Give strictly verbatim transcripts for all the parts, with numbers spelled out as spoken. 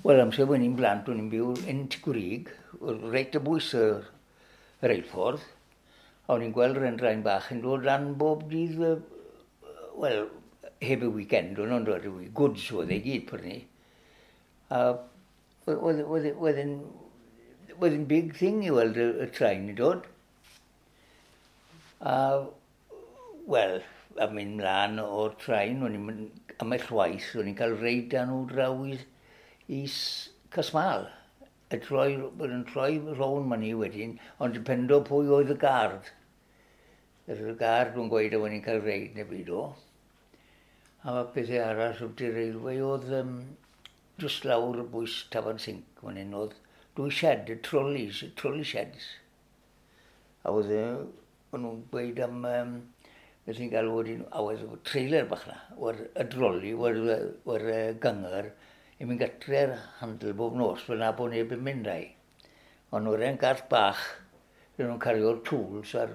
Wel, amser o'n i'n blant, o'n i'n byw yn Tŷ Gwrug, reit o bwys y reilffordd, a o'n i'n gweld yr endrain bach yn dod lan bob dydd, wel, heb y weekend, o'n nhw'n dod, goods oedd e gyd prynu. A oedd yn oedd yn big thing i weld y, y train i dod. A, wel, a mynd mlaen o'r train, o'n i'n mynd am y llwaith, o'n i'n cael reid â nhw draw i, i Casmal. Y troi, bod yn troi rown ma ni wedyn, ond dependo pwy oedd y guard. Yr guard yn gweud o'n i'n cael reid neu byd o. A pethau arall wrth i'r railway oedd um, just lawr y bwys Tafarn Sinc, fan hyn oedd dwy shed, y trolleys, y trolley sheds. A oedd o'n nhw'n gweud am, um, beth ni'n galw wedyn, a oedd trailer bach na, o'r y droli, o'r, o'r gyngor, i mynd gartre'r handle bob nos, fel na bod neb yn mynd â'i. Ond o'r en gart bach, rydyn nhw'n cario'r tools a'r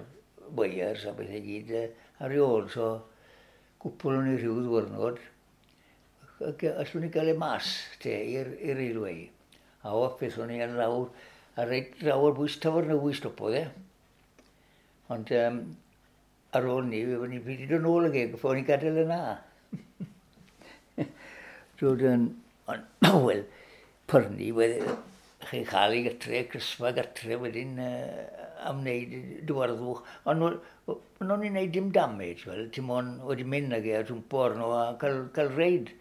wires a bethau gyd ar ei ôl, so gwpl o'n i rhyw ddwrnod, allwn ni gael e mas te i'r railway. A off beth o'n i ar lawr, a reit draw o'r bwys Tafarn stopodd e. Ond um, ar ôl ni, fe ni wedi dod nôl ag e, o'n i'n gadael yna. So, dyn, ond, wel, pyrnu, chi'n cael ei gatre, crisfa gatre wedyn uh, am wneud dywarddwch. Ond o'n i'n wneud dim damage, wel, ti'n mon wedi mynd ag e a jwmpo arno a cael, cael reid.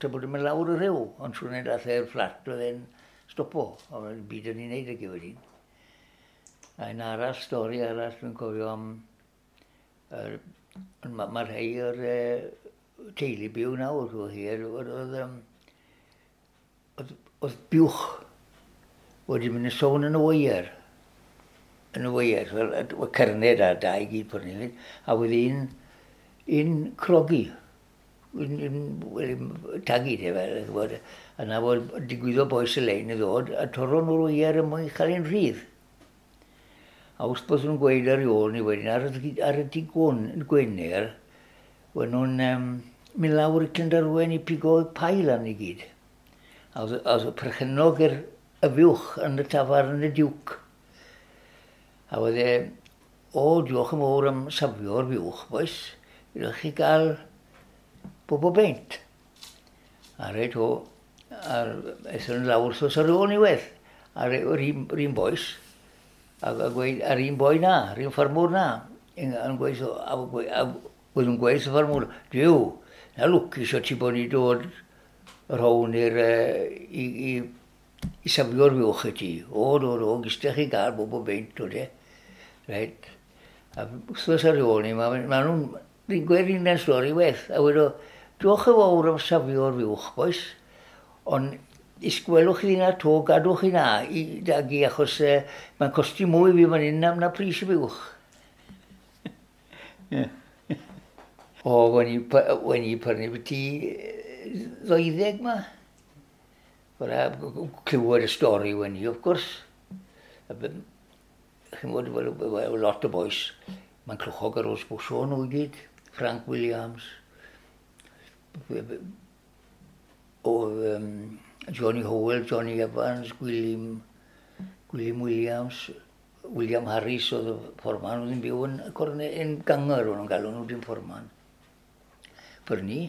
Ta bod yn mynd lawr y rhyw, ond swn i'n dath e'r fflat, oedd e'n stopo. Ond byd o'n i'n wneud ag e wedyn. A un arall, stori arall, dwi'n cofio am... Uh, mae ma rhai o'r uh, teulu byw nawr, oedd hi, oedd, oedd, oedd, oedd buwch wedi mynd yn sôn yn y weier. Yn y weier, fel y cerned a dau gyd pwrnu. A oedd un, un crogi, un, un, un tagu te fel, gwybod, a na fod digwyddo boes y lein i ddod, a torro nhw'r weier yn mwyn cael ein rhydd. A wrth bod nhw'n gweud ar ôl ni wedyn, ar y, ar y dydd Gwener, o'n nhw'n um, mynd lawr i Clunderwen i pigo pail arni i gyd. A oedd, oedd perchennog yr y fuwch yn y tafarn yn y Duke. A oedd e, o, diolch yn fawr am safio'r fuwch, boys. Ydych chi gael bob o beint. A reit o, a aethon nhw lawr wrthos ar ôl ni wedd. A'r yr un, yr un boys, a, a gweud, a'r un boi na, yr un ffarmwr na, yn, yn gweud, a, a, a oedd yn gweud y ffarmwr, Duw, na lwcus o ti bod ni dod yr hown i'r, i, i, i safio'r fuwch i ti. O, do, do, gystech chi gael bob o beint, o de. Reit. A wrthos ar ôl ni, ma, ma nhw'n gweud un stori weth. A wedo, diolch yn fawr am safio'r fuwch, boys. Ond isgwelwch chi na to, gadwch chi na i dagu, achos eh, mae'n costi mwy fi fan hyn na, na pris y fuwch. Yeah. O, wen i, wen i prynu byti ddeuddeg ma. Fydda clywed y stori wen i, of course. Chi'n bod, wel, lot o boys, mae'n clwchog ar ôl sbwsio nhw i gyd. Frank Williams, o um, Johnny Howell, Johnny Evans, Gwilym, Gwilym Williams, William Harris oedd y fforman, oedd yn byw yn, corne, yn ganger, o'n nhw'n galw nhw dim fforman. Prynu.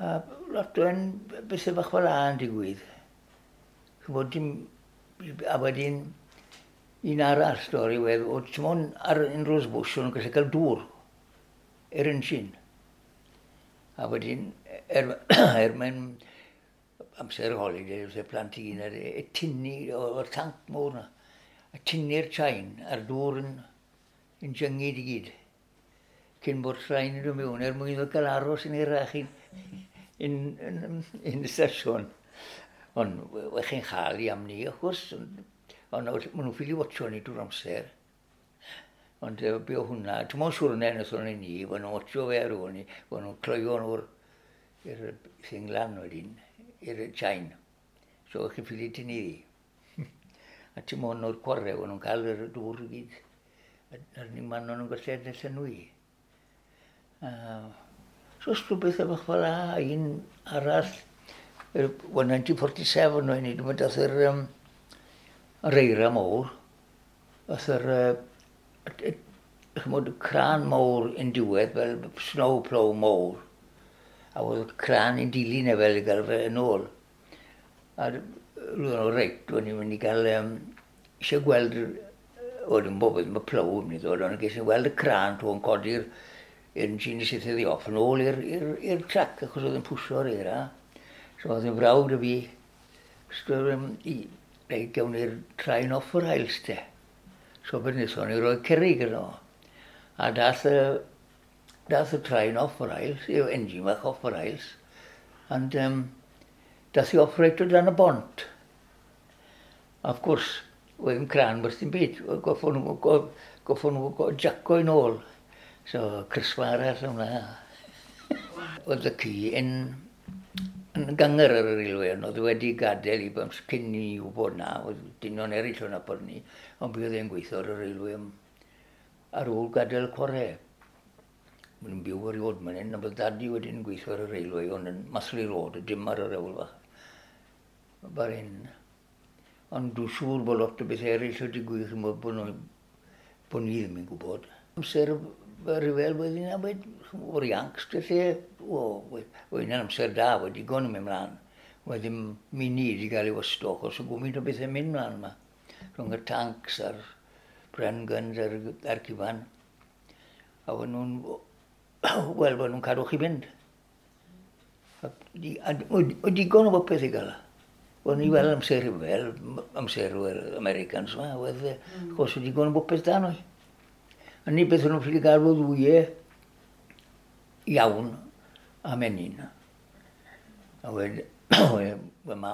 A lot o'n bethau bach fel 'a yn digwydd. Ch'mod dim, a wedyn un arall stori wedd, o t'mon ar un Rose Bush o'n nhw'n gallu cael dŵr i'r engine. A wedyn, er, er mae'n amser holiday, wrth y plant i gyd, y tynnu o'r tanc mawr na, a tynnu'r chain a'r dŵr yn, yn jyngyd i gyd. Cyn bod train yn dod mewn, er mwyn iddo gael aros yn hirach yn, yn, yn, yn y sesiwn. Ond we chi'n chael i am ni, wrth gwrs, ond ond maen nhw'n ffili watcho ni drwy'r amser. Ond uh, be o hwnna, ti'n mwyn siwrne wnaethon ni ni, maen nhw'n watcho fe ar ôl ni, maen nhw'n cloio nhw'r i'r thing lan wedyn, i'r chain. So chi'n ffili tynnu ddi. A ti'n mwyn o'r chwarae, maen nhw'n cael yr dŵr i gyd. A'r unig man o'n nhw'n gallu edrych llenwi. Uh, so rhywbeth bach fel 'a, un arall, Wel, naw deg pedwar o'n i, dwi'n dath yr, um, yr eira mowr, dath yr, uh, chymod, cran mowr yn diwedd, fel snow plough mowr. A oedd y cran yn dilyn e fel i gael fe yn ôl. A roedd nhw reit, o'n i'n mynd i gael, um, eisiau gweld, oedd yn bob mae plough yn mynd i ddod, ond ges i weld y cran to yn codi'r engine i syth iddi off yn ôl i'r trac, achos oedd yn pwsio'r eira. So oedd yn frawd y fi, so, um, i, reit, gawn ni'r train off yr rails te. So beth wnaethon ni roi cerrig yno. A dath y, dath y train off y rails, yw engine fach off y rails, and um, dath i off reit o dan y bont. A of course, oedd yn cran wrth dim byd. Goffon nhw, goffon nhw jaco yn ôl. So, crisfa arall hwnna. Oedd y ci yn yn ganger ar y railway, ond oedd wedi gadael i bams cyn i wybod na, oedd dynion eraill o'n nabod ni, ond bydd e'n gweithio ar y railway am, ar ôl gadael y chwarae. Maen nhw'n byw erioed man hyn, ond bydd dadi wedyn gweithio ar y railway, ond yn Mathley Road, dim ar yr hewl fach. Bar hyn. Ond dwi'n siŵr bod lot o beth eraill wedi digwydd, bod, nhw, bod ni ddim yn gwybod. Amser y rhyfel wedyn yna, o'r Yanks, lle, o, oedd yna'n amser da, wedi digon yn mynd mlaen. Oedd ddim munud wedi cael ei wasto, achos o gwmynt o bethau'n mynd mlaen yma. Rhwng y tanks a'r Bren guns a'r, a'r cyfan. A o'n nhw'n, wel, o'n nhw'n cadw chi fynd. A, a, a digon o bopeth i gael. O'n i weld amser rhyfel, amser yr Americans yma, oedd, mm. achos oedd digon o bopeth da nhw. A ni beth o'n nhw'n ffili gael oedd wyau iawn am enyn. A wed, wel,